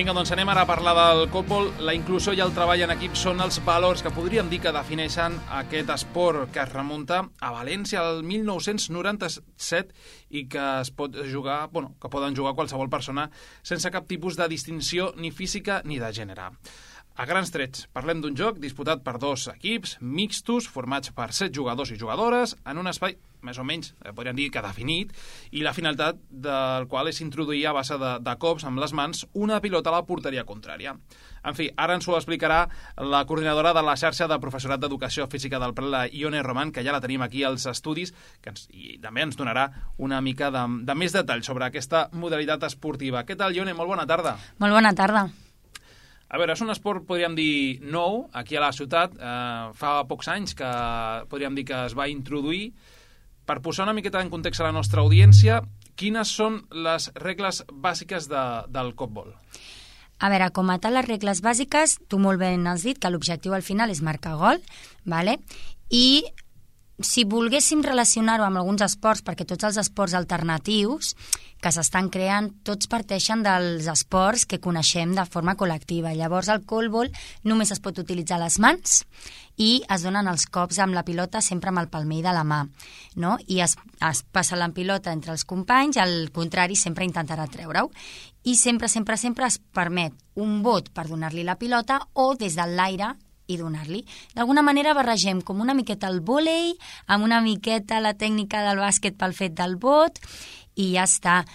Vinga, doncs anem ara a parlar del còtbol. La inclusió i el treball en equip són els valors que podríem dir que defineixen aquest esport que es remunta a València el 1997 i que es pot jugar, que poden jugar qualsevol persona sense cap tipus de distinció ni física ni de gènere. A grans trets, parlem d'un joc disputat per dos equips mixtos, formats per 7 jugadors i jugadores, en un espai, més o menys, podríem dir que definit, i la finalitat del qual és introduir a base de cops amb les mans una pilota a la porteria contrària. En fi, ara ens ho explicarà la coordinadora de la xarxa de professorat d'Educació Física del Prat, la Ione Roman, que ja la tenim aquí als estudis, i també ens donarà una mica de més detall sobre aquesta modalitat esportiva. Què tal, Ione? Molt bona tarda. Molt bona tarda. A veure, és un esport, podríem dir, nou, aquí a la ciutat. Fa pocs anys que podríem dir que es va introduir. Per posar una miqueta en context a la nostra audiència, quines són les regles bàsiques del còtbol? A veure, com a tal, les regles bàsiques, tu molt ben has dit que l'objectiu al final és marcar gol, ¿vale? I si volguéssim relacionar-ho amb alguns esports, perquè tots els esports alternatius que s'estan creant, tots parteixen dels esports que coneixem de forma col·lectiva. Llavors, el còtbol només es pot utilitzar les mans i es donen els cops amb la pilota sempre amb el palmell de la mà, no? I es passa la pilota entre els companys, al contrari sempre intentarà treure-ho. I sempre es permet un bot per donar-li la pilota o des de l'aire i donar-li. D'alguna manera barregem com una miqueta el vòlei, amb una miqueta la tècnica del bàsquet pel fet del bot, i ja està.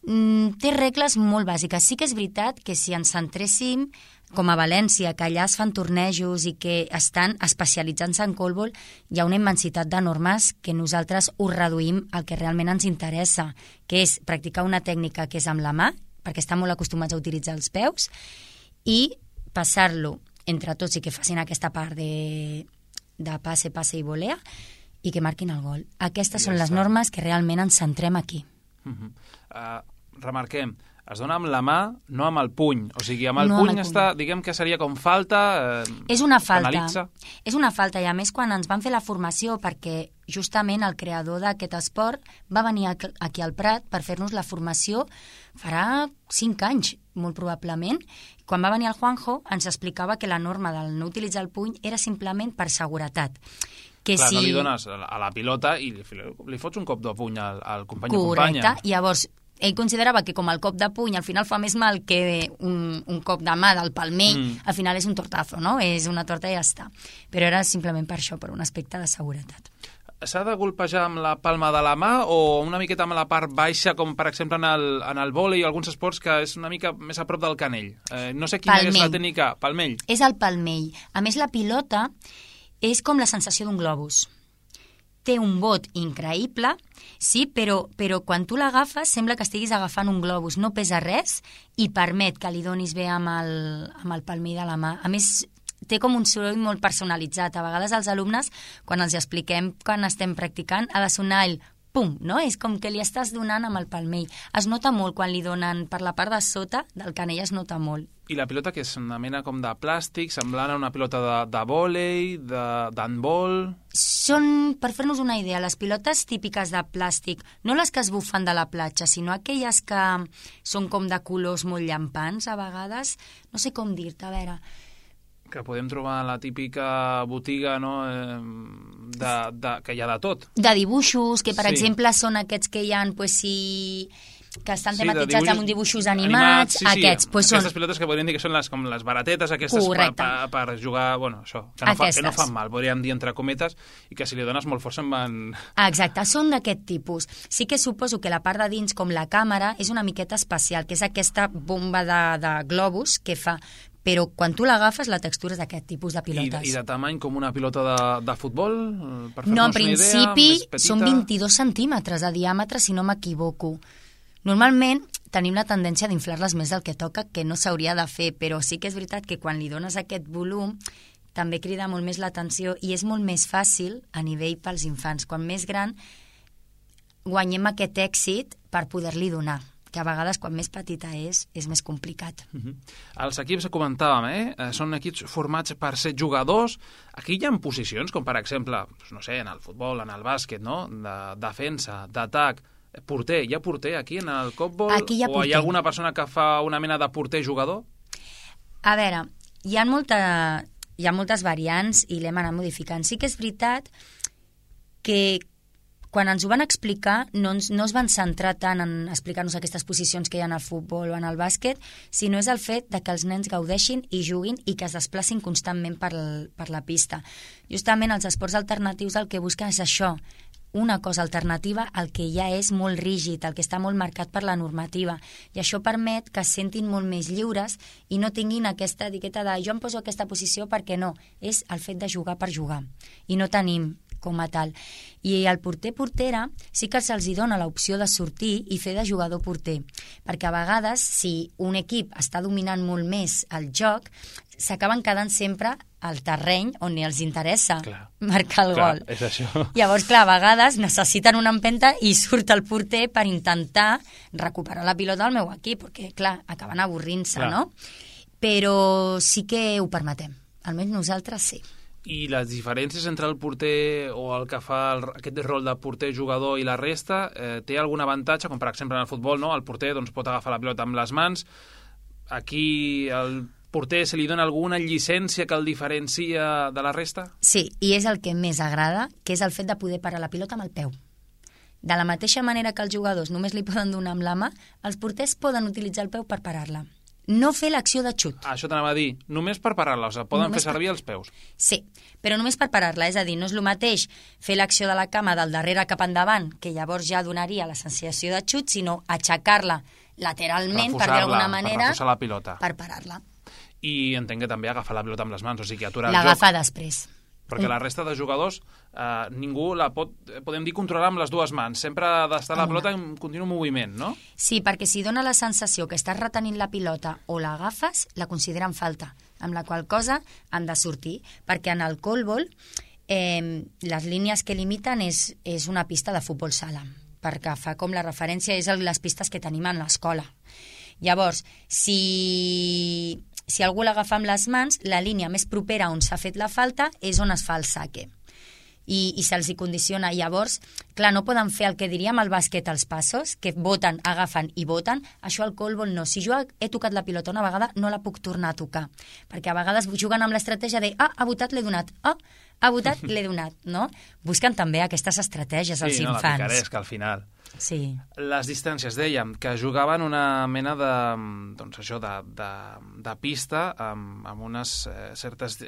Té regles molt bàsiques. Sí que és veritat que si ens centréssim, com a València, que allà es fan tornejos i que estan especialitzant-se en còtbol, hi ha una immensitat de normes que nosaltres ho reduïm al que realment ens interessa, que és practicar una tècnica que és amb la mà, perquè estan molt acostumats a utilitzar els peus, i passar-lo entre tots i que facin aquesta part de passe i volea i que marquin el gol. Aquestes són les normes que realment ens centrem aquí. Remarquem, es dona amb la mà, no amb el puny. O sigui, amb el puny està, diguem que seria com falta. És una falta. És una falta, i a més quan ens van fer la formació, perquè justament el creador d'aquest esport va venir aquí al Prat per fer-nos la formació farà 5 anys, molt probablement. Quan va venir el Juanjo ens explicava que la norma del no utilitzar el puny era simplement per seguretat. Clar, no li dones a la pilota i li fots un cop de puny al company o companya. Correcte, llavors ell considerava que com el cop de puny al final fa més mal que un cop de mà del palmell, al final és un tortazo, no? És una torta i ja està. Però era simplement per això, per un aspecte de seguretat. S'ha de golpejar amb la palma de la mà o una miqueta amb la part baixa, com per exemple en el vòlei o alguns esports que és una mica més a prop del canell? No sé quina és la tècnica. Palmell. És el palmell. A més, la pilota és com la sensació d'un globus. Té un bot increïble, sí, però quan tu l'agafes sembla que estiguis agafant un globus. No pesa res i permet que li donis bé amb el palmell de la mà. A més, té com un soroll molt personalitzat. A vegades els alumnes, quan els expliquem quan estem practicant, ha de sonar el pum, no? És com que li estàs donant amb el palmell. Es nota molt quan li donen per la part de sota del canell, es nota molt. I la pilota, que és una mena com de plàstic, semblant a una pilota de vòlei, d'handbol? Són, per fer-nos una idea, les pilotes típiques de plàstic, no les que es bufen de la platja, sinó aquelles que són com de colors molt llampants, a vegades. No sé com dir-te, a veure. Que podem trobar a la típica botiga, no?, que hi ha de tot. De dibuixos, que per exemple són aquests que hi ha, que estan tematitzats amb dibuixos animats. Aquests pilotes que podríem dir que són com les baratetes aquestes per jugar, això, que no fan mal, podríem dir entre cometes, i que si li dones molt força en van... Exacte, són d'aquest tipus. Sí que suposo que la part de dins, com la càmera, és una miqueta especial, que és aquesta bomba de globus que fa... Però quan tu l'agafes, la textura és d'aquest tipus de pilotes. I de tamany com una pilota de futbol? No, en principi són 22 centímetres de diàmetre, si no m'equivoco. Normalment tenim la tendència d'inflar-les més del que toca, que no s'hauria de fer, però sí que és veritat que quan li dones aquest volum també crida molt més l'atenció i és molt més fàcil a nivell pels infants. Quan més gran guanyem aquest èxit per poder-li donar, que a vegades quan més petita és més complicat. Els equips que comentàvem, són equips formats per 7 jugadors. Aquí hi ha posicions, com per exemple, no sé, en el futbol, en el bàsquet, no?, de defensa, d'atac, porter. Hi ha porter aquí en el còtbol? Aquí hi ha porter. O hi ha alguna persona que fa una mena de porter-jugador? A veure, hi ha moltes variants i l'hem anat modificant. Sí que és veritat que quan ens ho van explicar no es van centrar tant en explicar-nos aquestes posicions que hi ha al futbol o en el bàsquet, sinó és el fet de que els nens gaudeixin i juguin i que es desplacin constantment per la pista. Justament els esports alternatius el que busquen és això, una cosa alternativa al que ja és molt rígid, el que està molt marcat per la normativa, i això permet que es sentin molt més lliures i no tinguin aquesta etiqueta de jo em poso aquesta posició perquè no, és el fet de jugar per jugar, i no tenim com a tal. I el porter-portera sí que se'ls dona l'opció de sortir i fer de jugador-porter, perquè a vegades, si un equip està dominant molt més el joc, s'acaben quedant sempre al terreny on els interessa marcar el gol. És això. Llavors, clar, a vegades necessiten una empenta i surt el porter per intentar recuperar la pilota del meu equip, perquè, clar, acaben avorrint-se, no? Però sí que ho permetem. Almenys nosaltres sí. I les diferències entre el porter o el que fa aquest rol de porter-jugador i la resta, té algun avantatge, com per exemple en el futbol, no? El porter pot agafar la pilota amb les mans. Aquí el porter se li dona alguna llicència que el diferencia de la resta? Sí, i és el que més agrada, que és el fet de poder parar la pilota amb el peu. De la mateixa manera que els jugadors només li poden donar amb la mà, els porters poden utilitzar el peu per parar-la. No fer l'acció de xut. Això t'anava a dir, només per parar-la, o sigui, poden fer servir els peus. Sí, però només per parar-la, és a dir, no és el mateix fer l'acció de la cama del darrere cap endavant, que llavors ja donaria la sensació de xut, sinó aixecar-la lateralment, per dir d'alguna manera, per la pilota, per parar-la. I entenc que també agafar la pilota amb les mans, o sigui, aturar el joc. L'agafa després. Perquè la resta de jugadors ningú la pot, podem dir, controlar amb les dues mans. Sempre ha d'estar la pilota en continu moviment, no? Sí, perquè si dona la sensació que estàs retenint la pilota o l'agafes, la consideren falta, amb la qual cosa han de sortir, perquè en el callball les línies que limiten és una pista de futbol sala, perquè fa com la referència és les pistes que tenim en l'escola. Llavors, si algú l'agafa amb les mans, la línia més propera on s'ha fet la falta és on es fa el saque. I se'ls hi condiciona. Llavors, clar, no poden fer el que diríem al bàsquet els passos, que voten, agafen i voten. Això al callball no. Si jo he tocat la pilota una vegada, no la puc tornar a tocar. Perquè a vegades juguen amb l'estratègia de ha votat, l'he donat. Ha votat, l'he donat, no? Busquen també aquestes estratègies als infants. Sí, no, la picaresca, al final. Sí. Les distàncies, dèiem, que jugaven una mena de, doncs això, de pista amb unes certes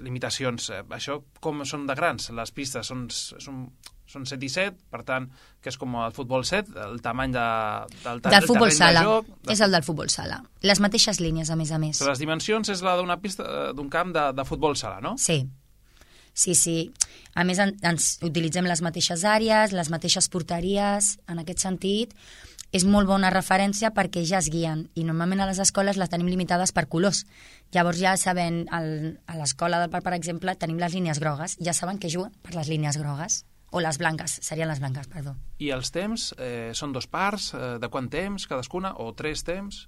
limitacions. Això com són de grans? Les pistes són 7 i 7, per tant, que és com el futbol 7, el tamany del futbol sala. És el del futbol sala. Les mateixes línies, a més a més. Les dimensions és la d'una pista, d'un camp de futbol sala, no? Sí. Sí. A més, ens utilitzem les mateixes àrees, les mateixes porteries, en aquest sentit. És molt bona referència perquè ja es guien i normalment a les escoles les tenim limitades per colors. Llavors ja saben, a l'escola del parc, per exemple, tenim les línies grogues, ja saben que juguen per les línies grogues, o les blanques, serien les blanques, perdó. I els temps són 2 parts, de quant temps cadascuna, o 3 temps?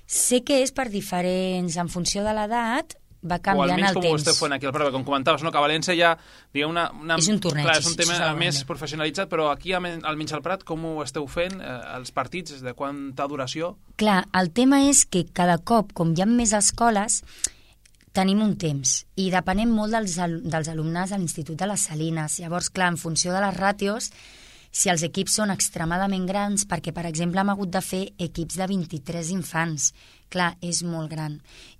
Sé que és per diferents, en funció de l'edat, va canviant el temps. O almenys com ho esteu fent aquí al Prado, com comentaves, no? Que a València ja, diguem, és un torneig. Clar, és un tema més professionalitzat, però aquí, almenys al Prat, com ho esteu fent, els partits, de quanta duració? Clar, el tema és que cada cop, com hi ha més escoles, tenim un temps, i depenem molt dels alumnes de l'Institut de les Salines. Llavors, clar, en funció de les ràtios, si els equips són extremadament grans, perquè, per exemple, hem hagut de fer equips de 23 infants, clar, és molt gran.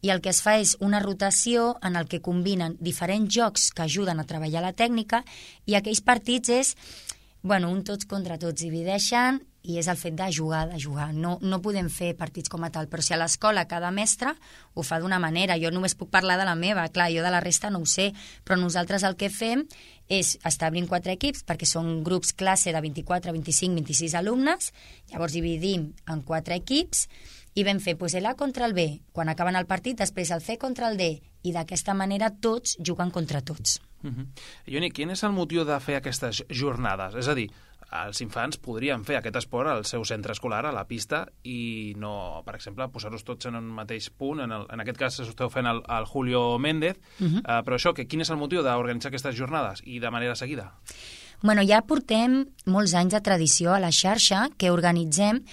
I el que es fa és una rotació en el que combinen diferents jocs que ajuden a treballar la tècnica i aquells partits és, un tots contra tots, divideixen i és el fet de jugar. No podem fer partits com a tal, però si a l'escola cada mestre ho fa d'una manera, jo només puc parlar de la meva, clar, jo de la resta no ho sé, però nosaltres el que fem és establir 4 equips, perquè són grups classe de 24, 25, 26 alumnes, llavors dividim en 4 equips i vam fer l'A contra el B, quan acaben el partit, després el C contra el D, i d'aquesta manera tots juguen contra tots. Ioni, quin és el motiu de fer aquestes jornades? És a dir, els infants podrien fer aquest esport al seu centre escolar, a la pista, i no, per exemple, posar-los tots en un mateix punt. En aquest cas esteu fent el Julio Méndez, però això, quin és el motiu d'organitzar aquestes jornades i de manera seguida? Ja portem molts anys de tradició a la xarxa que organitzem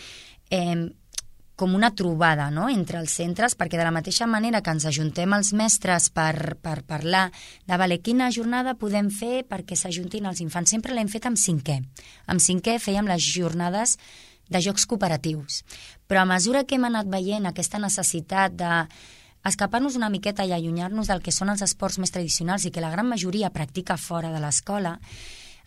com una trobada, no?, entre els centres, perquè de la mateixa manera que ens ajuntem els mestres per parlar de quina jornada podem fer perquè s'ajuntin els infants, sempre l'hem fet amb cinquè. Amb cinquè fèiem les jornades de jocs cooperatius. Però a mesura que hem anat veient aquesta necessitat d'escapar-nos una miqueta i allunyar-nos del que són els esports més tradicionals i que la gran majoria practica fora de l'escola,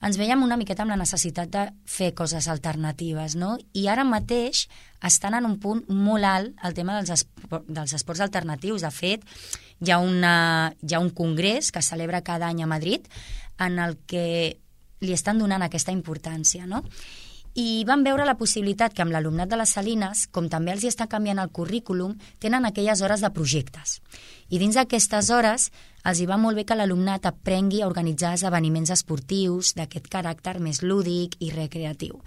ens veiem una miqueta amb la necessitat de fer coses alternatives, no? I ara mateix estan en un punt molt alt el tema dels esports alternatius. De fet, hi ha un congrés que es celebra cada any a Madrid en el que li estan donant aquesta importància, no? I van veure la possibilitat que amb l'alumnat de les Salines, com també els hi està canviant el currículum, tenen aquelles hores de projectes. I dins d'aquestes hores els hi va molt bé que l'alumnat aprengui a organitzar esdeveniments esportius d'aquest caràcter més lúdic i recreatiu.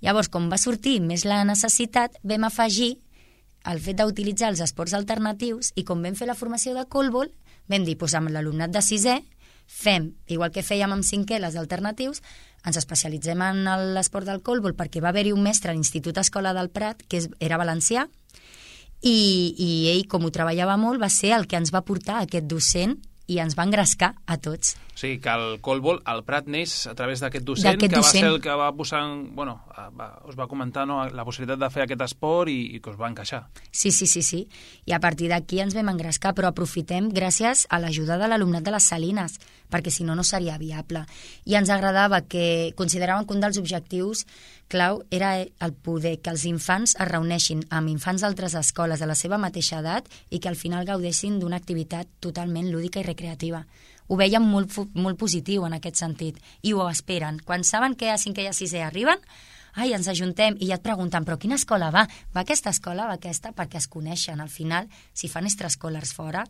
Llavors, com va sortir més la necessitat, vam afegir el fet d'utilitzar els esports alternatius i com vam fer la formació de colbol, vam dir, doncs amb l'alumnat de sisè, fem, igual que fèiem amb cinquè les alternatius, ens especialitzem en l'esport del colbol perquè va haver-hi un mestre a l'Institut Escola del Prat que era valencià i ell, com ho treballava molt, va ser el que ens va portar aquest docent i ens va engrescar a tots. O sigui, que el colbol, el Prat neix a través d'aquest docent, que va ser el que va posar, us va comentar, no, la possibilitat de fer aquest esport i que us va encaixar. Sí. I a partir d'aquí ens vam engrescar, però aprofitem gràcies a l'ajuda de l'alumnat de les Salines, perquè si no, no seria viable. I ens agradava que consideràvem que un dels objectius clau era el poder que els infants es reuneixin amb infants d'altres escoles de la seva mateixa edat i que al final gaudessin d'una activitat totalment lúdica i recreativa. Ho veiem molt positiu en aquest sentit i ho esperen. Quan saben que a cinquè i a sisè arriben, ens ajuntem i ja et pregunten, però quina escola va? Va aquesta escola, va aquesta? Perquè es coneixen. Al final, si fan extraescolars fora,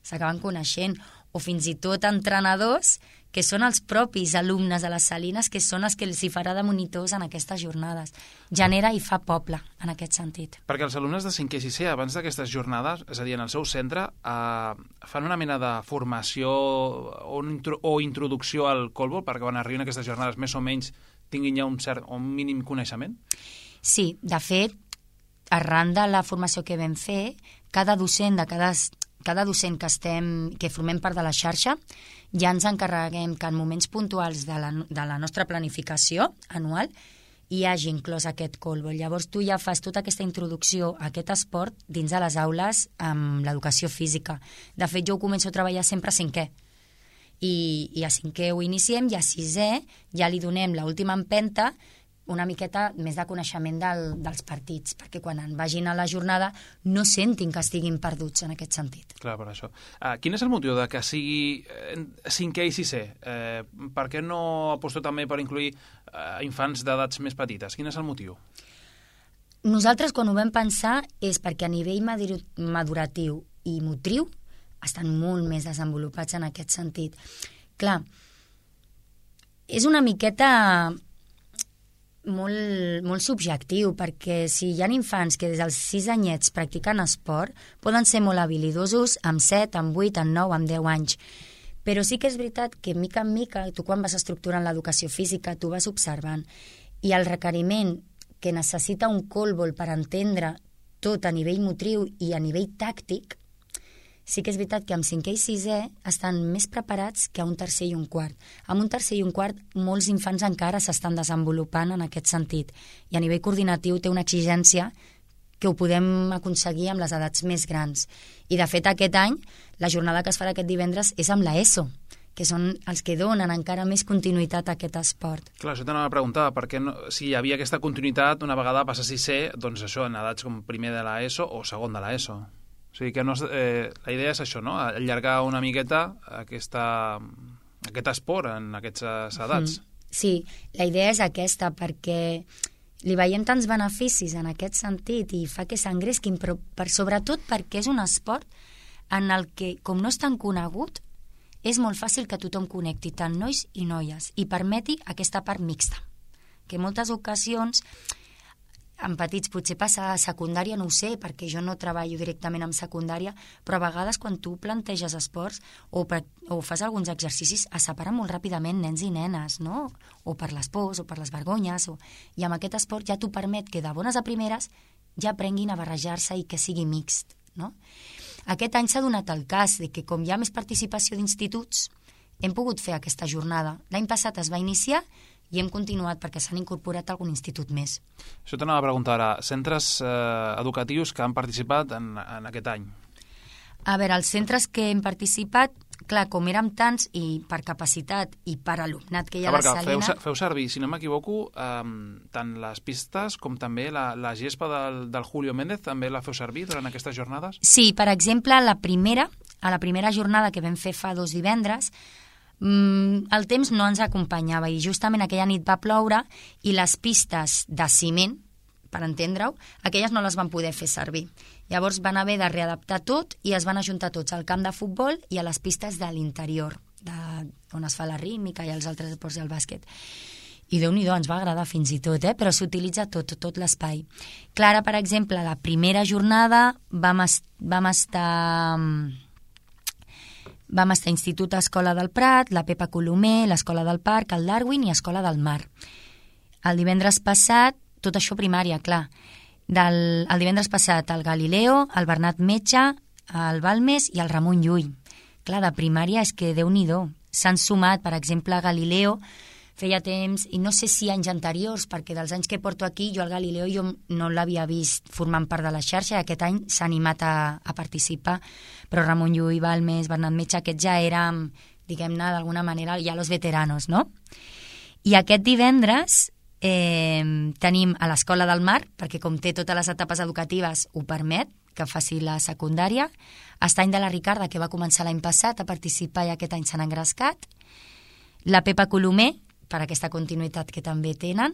s'acaben coneixent. O fins i tot entrenadors que són els propis alumnes de les Salines, que són els que els hi farà de monitors en aquestes jornades. Genera i fa poble, en aquest sentit. Perquè els alumnes de 5è i 6è, abans d'aquestes jornades, és a dir, en el seu centre, fan una mena de formació o introducció al colbol, perquè quan arriben aquestes jornades més o menys tinguin ja un mínim coneixement? Sí, de fet, arran de la formació que vam fer, cada docent que formem part de la xarxa, ja ens encarreguem que en moments puntuals de la nostra planificació anual hi hagi inclòs aquest colbol. Llavors tu ja fas tota aquesta introducció a aquest esport dins de les aules amb l'educació física. De fet, jo ho començo a treballar sempre a 5è. I a 5è ho iniciem i a 6è ja li donem l'última empenta, una miqueta més de coneixement dels partits, perquè quan vagin a la jornada no sentin que estiguin perduts en aquest sentit. Clar, per això. Quin és el motiu de que sigui 5è i 6è? Per què no aposto també per incluir infants d'edats més petites? Quin és el motiu? Nosaltres, quan ho vam pensar, és perquè a nivell maduratiu i motriu estan molt més desenvolupats en aquest sentit. Clar, és una miqueta molt subjectiu, perquè si hi ha infants que des dels 6 anyets practiquen esport, poden ser molt habilidosos amb 7, amb 8, amb 9, amb 10 anys. Però sí que és veritat que mica en mica, tu quan vas estructurant l'educació física, tu vas observant, i el requeriment que necessita un colbol per entendre tot a nivell motriu i a nivell tàctic, sí que és veritat que amb 5è i 6è estan més preparats que a un tercer i un quart. Amb un tercer i un quart molts infants encara s'estan desenvolupant en aquest sentit i a nivell coordinatiu té una exigència que ho podem aconseguir amb les edats més grans. I de fet aquest any la jornada que es farà aquest divendres és amb l'ESO, que són els que donen encara més continuïtat a aquest esport. Clar, això t'anava a preguntar, perquè si hi havia aquesta continuïtat, una vegada passa a 6è, doncs això, en edats com primer de l'ESO o segon de l'ESO. O sigui que la idea és això, no? Allargar una miqueta aquest esport en aquestes edats. Sí, la idea és aquesta, perquè li veiem tants beneficis en aquest sentit i fa que s'engresquin, però sobretot perquè és un esport en el que, com no és tan conegut, és molt fàcil que tothom connecti, tant nois i noies, i permeti aquesta part mixta, que en moltes ocasions en petits potser passa a secundària, no ho sé, perquè jo no treballo directament amb secundària, però a vegades quan tu planteges esports o fas alguns exercicis es separen molt ràpidament nens i nenes, no? O per les pors o per les vergonyes, i amb aquest esport ja t'ho permet que de bones a primeres ja aprenguin a barrejar-se i que sigui mixt, no? Aquest any s'ha donat el cas de que, com hi ha més participació d'instituts, hem pogut fer aquesta jornada. L'any passat es va iniciar i hem continuat perquè s'han incorporat algun institut més. Això t'anava a preguntar ara. Centres educatius que han participat en aquest any? A veure, els centres que hem participat, clar, com érem tants i per capacitat i per alumnat que hi ha a la Salina... Feu servir, si no m'equivoco, tant les pistes com també la gespa del Julio Méndez, també la feu servir durant aquestes jornades? Sí, per exemple, a la primera jornada que vam fer fa 2 divendres, el temps no ens acompanyava i justament aquella nit va ploure i les pistes de ciment, per entendre-ho, aquelles no les van poder fer servir. Llavors van haver de readaptar tot i es van ajuntar tots al camp de futbol i a les pistes de l'interior, on es fa la rítmica i els altres esports i el bàsquet. I Déu-n'hi-do, ens va agradar fins i tot, però s'utilitza tot l'espai. Clara, per exemple, la primera jornada vam estar Institut Escola del Prat, la Pepa Colomer, l'Escola del Parc, el Darwin i Escola del Mar. El divendres passat, tot això primària, clar, el divendres passat el Galileo, el Bernat Metge, el Balmes i el Ramon Llull. Clar, de primària és que Déu-n'hi-do. S'han sumat, per exemple, a Galileo, feia temps, i no sé si anys anteriors, perquè dels anys que porto aquí, jo al Galileo jo no l'havia vist formant part de la xarxa, i aquest any s'ha animat a participar, però Ramon Llull, Balmes, Bernat Metge, aquests ja érem, diguem-ne, d'alguna manera, ja los veteranos, no? I aquest divendres tenim a l'Escola del Mar, perquè com té totes les etapes educatives ho permet, que faci la secundària, Estany de la Ricarda, que va començar l'any passat a participar i aquest any s'han engrescat, la Pepa Colomer, per aquesta continuïtat que també tenen,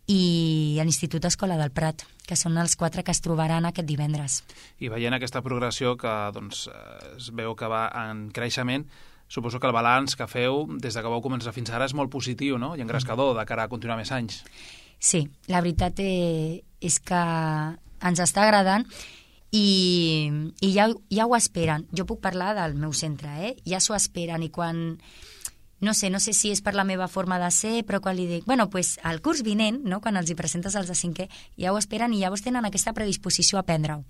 i l'Institut Escola del Prat, que són els 4 que es trobaran aquest divendres. I veient aquesta progressió que doncs, es veu que va en creixement, suposo que el balanç que feu des de que vau començar fins ara és molt positiu, no? I engrescador de cara a continuar més anys. Sí, la veritat és que ens està agradant i ja ho esperen. Jo puc parlar del meu centre, ja s'ho esperen i quan... No sé si és per la meva forma de ser, però quan li dic, bueno, pues al curs vinent, no, quan els hi presentes els de 5è, ja ho esperen i llavors tenen aquesta predisposició a aprendre-ho.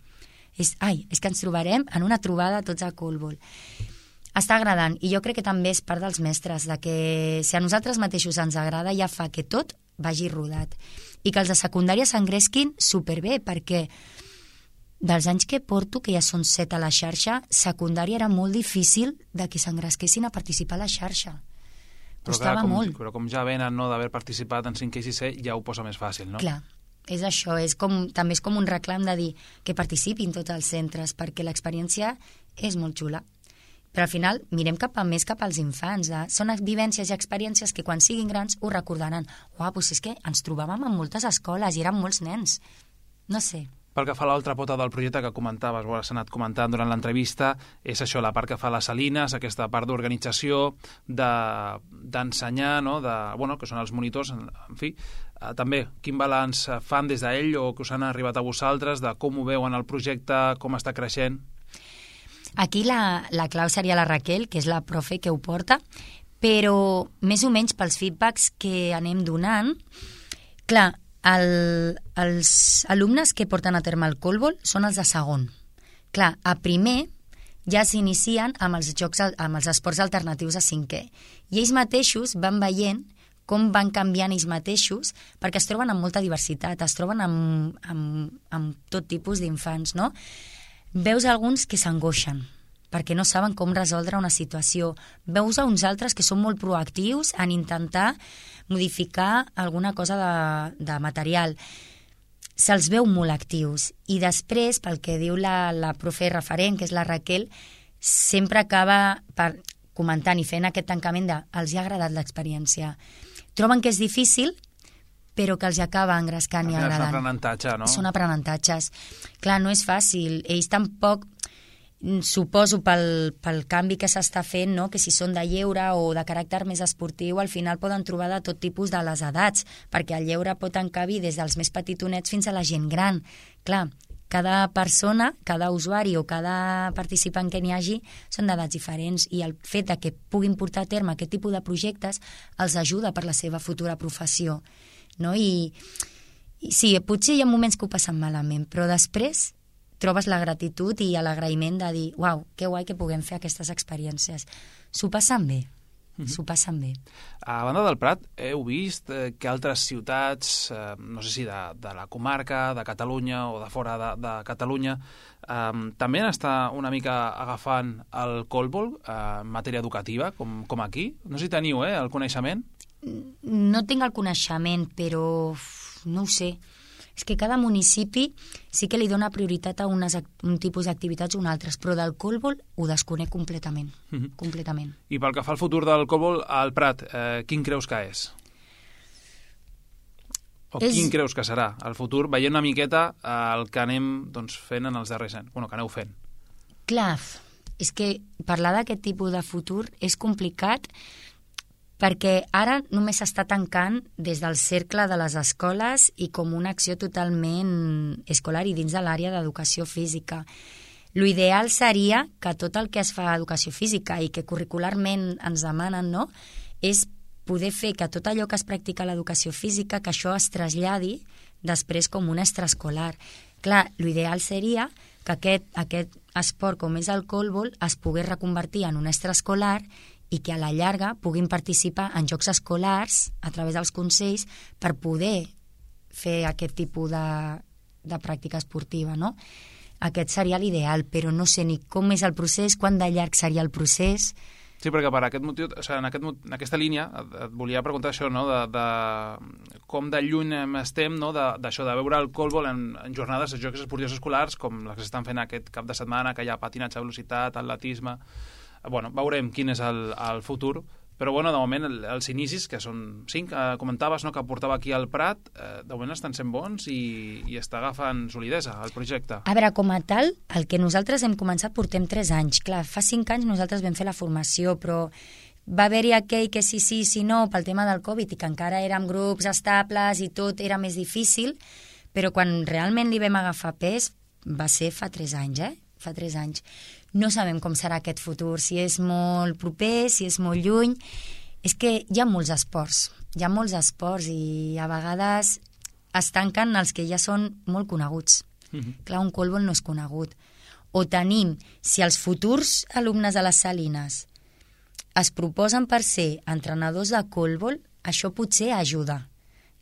És que ens trobarem en una trobada tots a Colbol. Està agradant, i jo crec que també és part dels mestres, de que si a nosaltres mateixos ens agrada ja fa que tot vagi rodat. I que els de secundària s'engresquin superbé, perquè dels anys que porto, que ja són 7 a la xarxa, secundària era molt difícil de que s'engresquessin a participar a la xarxa. Costava molt. Però com ja venen d'haver participat en 5è i 6è, ja ho posa més fàcil, no? Clar, és això, també és com un reclam de dir que participin tots els centres, perquè l'experiència és molt xula. Però al final mirem cap als infants. Són vivències i experiències que quan siguin grans ho recordaran. Uau, doncs és que ens trobàvem en moltes escoles i eren molts nens. No sé. Pel que fa a l'altra pota del projecte que comentaves, ho has anat comentant durant l'entrevista, és això, la part que fa les Salines, aquesta part d'organització, d'ensenyar, no? Que són els monitors, en fi. També, quin balanç fan des d'ell o que us han arribat a vosaltres, de com ho veuen el projecte, com està creixent? Aquí la clau seria la Raquel, que és la profe que ho porta, però més o menys pels feedbacks que anem donant, clar, els alumnes que porten a terme el Colbol són els de segon. Clar, a primer ja s'inicien amb els esports alternatius a 5è. I ells mateixos van veient com van canviant ells mateixos, perquè es troben amb molta diversitat, es troben amb tot tipus d'infants, no? Veus alguns que s'angoixen, perquè no saben com resoldre una situació. Veus a uns altres que són molt proactius en intentar modificar alguna cosa de material. Se'ls veu molt actius. I després, pel que diu la profe referent, que és la Raquel, sempre acaba comentant i fent aquest tancament de els hi ha agradat l'experiència. Troben que és difícil, però que els acaba engrescant i agradant. És un aprenentatge, no? Són aprenentatges. Clar, no és fàcil. Ells tampoc, suposo pel canvi que s'està fent, no? Que si són de lleure o de caràcter més esportiu, al final poden trobar de tot tipus de les edats, perquè el lleure pot encabir des dels més petitonets fins a la gent gran. Clar, cada persona, cada usuari o cada participant que n'hi hagi són d'edats diferents i el fet de que puguin portar a terme aquest tipus de projectes els ajuda per la seva futura professió, no? I Sí, potser hi ha moments que ho passen malament, però després trobes la gratitud i l'agraïment de dir uau, que guai que puguem fer aquestes experiències. S'ho passen bé. S'ho passen bé. A banda del Prat, heu vist que altres ciutats, no sé si de la comarca, de Catalunya o de fora de Catalunya, també està una mica agafant el colbol en matèria educativa, com aquí? No sé si teniu el coneixement. No tinc el coneixement, però no ho sé. És que cada municipi sí que li dona prioritat a un tipus d'activitats o un altres, però del colbol ho desconec completament. Completament. I pel que fa al futur del colbol al Prat, quin creus que és? O quin creus que serà el futur, veient una miqueta el que anem fent en els darrers anys? Bueno, que aneu fent. Clar, és que parlar d'aquest tipus de futur és complicat perquè ara només s'està tancant des del cercle de les escoles i com una acció totalment escolar i dins de l'àrea d'educació física. L'ideal seria que tot el que es fa a educació física i que curricularment ens demanen, no?, és poder fer que tot allò que es practica a l'educació física, que això es traslladi després com un extraescolar. Clar, l'ideal seria que aquest esport com és el colbol es pogués reconvertir en un extraescolar i que a la llarga puguin participar en jocs escolars a través dels consells per poder fer aquest tipus de pràctica esportiva, no? Aquest seria l'ideal, però no sé ni com és el procés, quant de llarg seria el procés. Sí, perquè per aquest motiu, en aquesta línia, et volia preguntar això, no?, de com de lluny estem, no?, d'això, de veure el colbol en jornades de jocs esportius escolars, com les que s'estan fent aquest cap de setmana, que hi ha patinatge de velocitat, atletisme. Bueno, veurem quin és el futur, però bueno, de moment els inicis, que són 5, comentaves, no?, que portava aquí al Prat, de moment estan sent bons i està agafant solidesa el projecte. A veure, com a tal, el que nosaltres hem començat portem 3 anys. Clar, fa 5 anys nosaltres vam fer la formació, però va haver-hi aquell que sí, no, pel tema del Covid, i que encara érem grups estables i tot era més difícil, però quan realment li vam agafar pes va ser fa 3 anys, Fa 3 anys. No sabem com serà aquest futur, si és molt proper, si és molt lluny. És que hi ha molts esports i a vegades es tanquen els que ja són molt coneguts. Clar, un colbol no és conegut. O tenim, si els futurs alumnes de les Salines es proposen per ser entrenadors de colbol, això potser ajuda.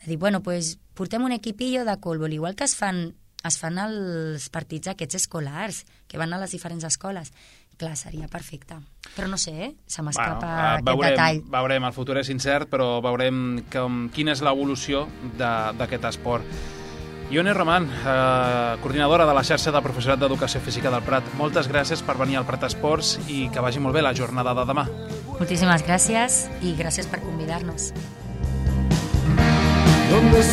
De dir, bueno, pues portem un equipillo de colbol, igual que es fan els partits aquests escolars, que van a les diferents escoles. Clar, seria perfecte. Però no sé, se m'escapa aquest detall. Veurem, el futur és incert, però veurem quina és l'evolució d'aquest esport. Ione Roman, coordinadora de la xarxa de professorat d'Educació Física del Prat, moltes gràcies per venir al Prat Esports i que vagi molt bé la jornada de demà. Moltíssimes gràcies i gràcies per convidar-nos. Donde